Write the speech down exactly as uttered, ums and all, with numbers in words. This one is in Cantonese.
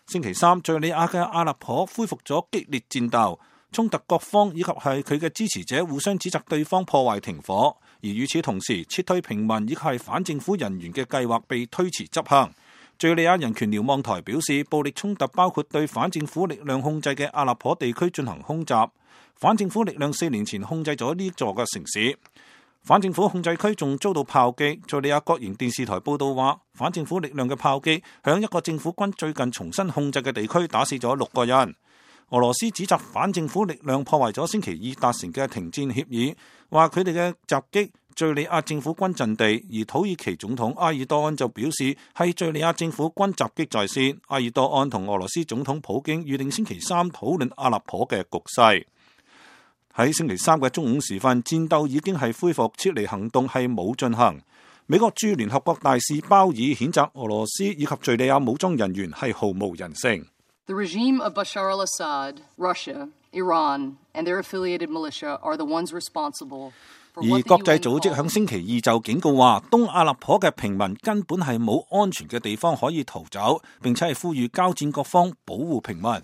星期三，敘利亞嘅阿勒頗恢復咗激烈戰鬥，衝突各方以及係佢嘅支持者互相指責對方破壞停火，而與此同時，撤退平民以及係反政府人員嘅計劃被推遲執行。敘利亞人權瞭望台表示，暴力衝突包括對反政府力量控制嘅阿勒頗地區進行空襲。反政府力量四年前控制咗呢座嘅城市，反政府控制區仲遭到炮擊。敘利亞國營電視台報道話，反政府力量嘅炮擊響一個政府軍最近重新控制嘅地區打死咗六個人。俄羅斯指責反政府力量破壞咗星期二達成嘅停戰協議，話佢哋嘅襲擊敘利亞政府軍陣地，而土耳其總統埃爾多安就表示係敘利亞政府軍襲擊在先。埃爾多安同俄羅斯總統普京預定星期三討論阿勒頗嘅局勢。喺星期三嘅中午時分，戰鬥已經係恢復，撤離行動係冇進行。美國駐聯合國大使鮑爾譴責俄羅斯以及敘利亞武裝人員係毫無人性。The regime of Bashar al-Assad, Russia, Iran, and their affiliated militia are the ones responsible. 而國際組織響星期二就警告話，東阿勒頗嘅平民根本係冇安全嘅地方可以逃走，並且係呼籲交戰各方保護平民。